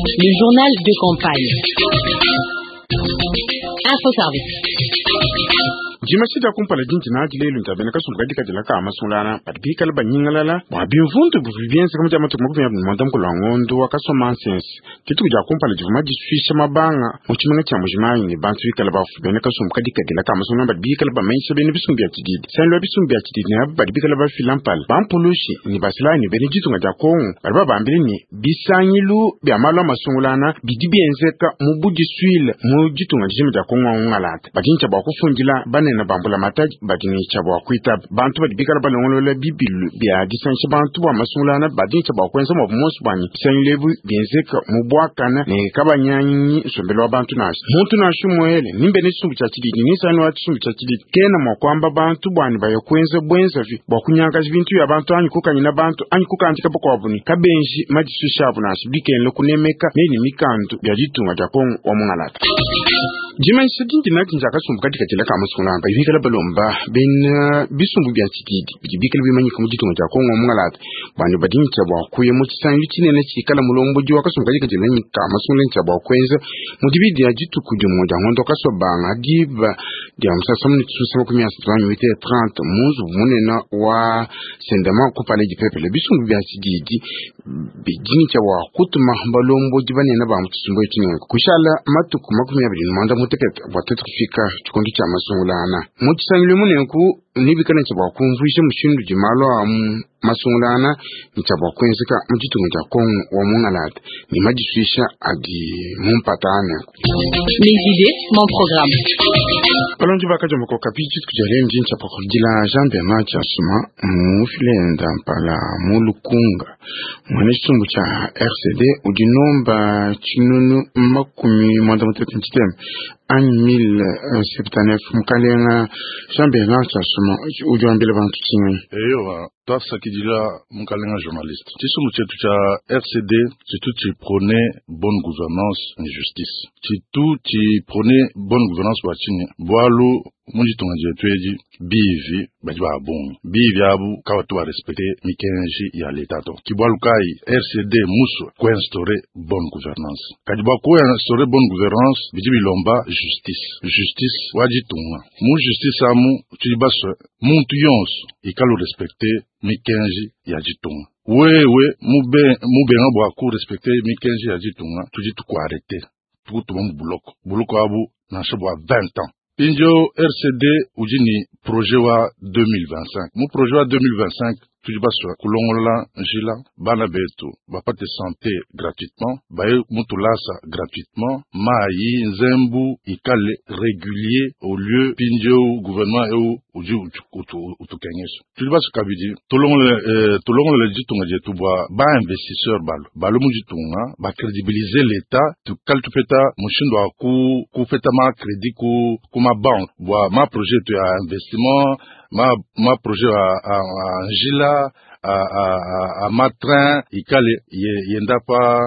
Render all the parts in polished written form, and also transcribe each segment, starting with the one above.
Le journal de campagne. Info Service. Dimanyisha dia kumpala dindi nadi lelu ndia bena kasumbu kadikadila ka masungulana badi bikale banyingalala bua bimvundu bivua bienzeka mu dia matuku 29 a ngondo wa Kasuamansense. Dituku dia kumpala divua madisuisha mabanga mu tshimenga tshia Mbuji-Mayi ne bantu bikale bafue. Bena kasumbu kadikadila ka masungulana badi bikale bamanyisha bena bisumbu bia tshididi, nsangilu wa bisumbu bia tshididi ne aba badi bikale bafila mpala, bampulushi ne basalayi ne bena ditunga dia Kongo badi babambile ne, bisangilu bia malu a masungulana bidi bienzeka mu budisuile mu ditunga dijima dia Kongo wa mungalata. Badi ne tshia bua kufundila banene ba mbulamatadi badi ne tshia bua kuitaba bantu badi bikale balongolola bibilu bia disangisha bantu bua masungulana badi ne tshia bua kuenza muabu muonso bua ne bisangilu ebi bienzeka mu buakane ne kabanyangi nsombelu wa bantu nansha. Muntu nansha umuele ni mbena tshisumbu tshia tshididi ni nsangilu wa tshisumbu tshia tshididi kena mua kuamba bantu bua ne baya kuenza buenzavi bua kunyangakaja bintu bia bantu anyi kukanyina bantu anyi kukandika bakuabu ne kabenji madisuisha abu nansha bikengela kunemeka meyi ne mikandu bia ditunga dia Kongo wa mungalata. Dimanyisha dindi nadi ndia kasumbu kadikadila ka masungula badi bikale balomba bena bisumbu bia tshididi bidi bikale bimanyika mu ditunga dia Kongo wa mungalata bua ne badi ne tshia bua kuya mu tshisangilu tshinene tshikala mulombodi wa kasumbu kadikadila ka masungula ne tshia bua kuenza mu dibidi dia dituku dimue dia ngondo wa Kasuabanga diba dia musasa mu tshisusa 30 anyi 8h30 mu nzubu munene wa Sendema ku Palais du Peuple. Bisumbu bia tshididi bidi ne tshia bua kutuma balombodi banene ba mu tshisumbu etshi nenku kushala matuku 25 bua tuetu kufika tshikondo tshia masungulana mu tshisangilu emu. Nenku nebikale ne tshia bua kumvuija mushindu udi malu a masungulana ne tshia bua kuenzeka mu ditunga dia Kongo wa mungalata ne madisuisha adi mu mpata nenku. Mes idées, mon programme. Balongi bakadiomba ko Okapi dituku dia lelu ndi ntshia pakudila Jean Bernard Tshiasuma mufilenda mpala mu Lukunga muena tshisumbu tshia RCD udi nomba 660 anyi 1079. Mukalenga Jean Bernard Tshiasuma, udi wambila bantu tshinganyi? Eyowa, twasakidila mukalenga journaliste. Tshisumbu tshietu tshia RCD tshitu tshiprône bonne gouvernance ne justice. Tshitu tshiprône bonne gouvernance bua tshinyi? Bualu mu ditunga dietu edi bivi badi ba bungi, bivi abu kabatu barespecte mikenji ya leta to. Ke bualu kayi RCD musue kuinstaurer bonne gouvernance. Kadi bua kuinstaurer bonne gouvernance bidi bilomba justice, justice wa ditunga. Mu justice amu tudi basue muntu yonso ikale respecte mikenji ya ditunga. Wewe mubenga bua kurespecte mikenji ya ditunga, tudi tukuarrêter, tukutuma mu buloko, buloko abu nansha bua 20 ans. Mpindieu RCD udi ne projet wa 2025. Mu projet wa 2025 tudi basue kulongolola njila, bana betu bapate santé gratuitement, baye mu tulasa gratuitement, mayi nzembu ikale régulier au lieu mpindieu gouvernement eu udi utukengesha. Tudi basue kabidi tulongolole ditunga dietu bua ba investisseur balu mu ditunga bacrédibiliser l'état, tukale tupeta mushindu wa kupeta ma crédit ku ma banque bua ma projet etu ya investissement, ma projet a njila, a ma train ikale yenda pa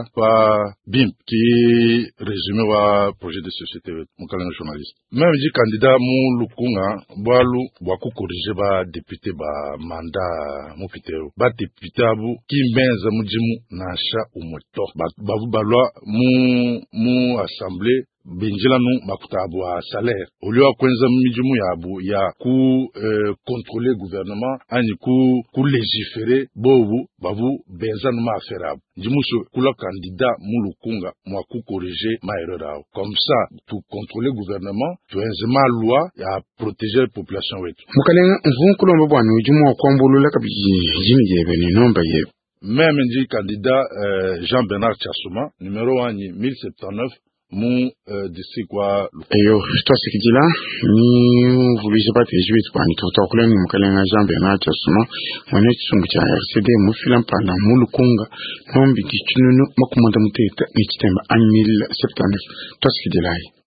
bimpe. Ki résumé wa projet de société wetu, mukalenga journaliste. Meme ndi candidat mu Lukunga bualu bua kucorriger ba député ba mandat mupite eu. Ba député abu ki mbenza mudimu nansha umue to. Bavu balua mu assemblée binjila nu makuta abu a salaire au lieu ya kuenza midimu yabu ya ku contrôler gouvernement anyi ku légiférer, bobu bavu benza nu ma affaire abu. Ndi musue kula candidat mu Lukunga mua kucorriger ma erreur awu, comme ça tu contrôler gouvernement, tuenze ma loi ya protéger population wetu. Mukalenga, mvua nkulomba bua udi mua kuambulula kabidi dina diebe ne nomba yebe. Meme ndi candidat Jean Bernard Tshiasuma, numéro wanyi 1079 mu district wa Eyo, twasikidila ni mvuluija bateji betu bwanyi tukutuakula ni mukalenga Jean Bernard Tshiasuma mwene tshisumbu tshia RCD mufila mpanda mu Lukunga nombi di 693 anyi 1079. Twasikidilayi.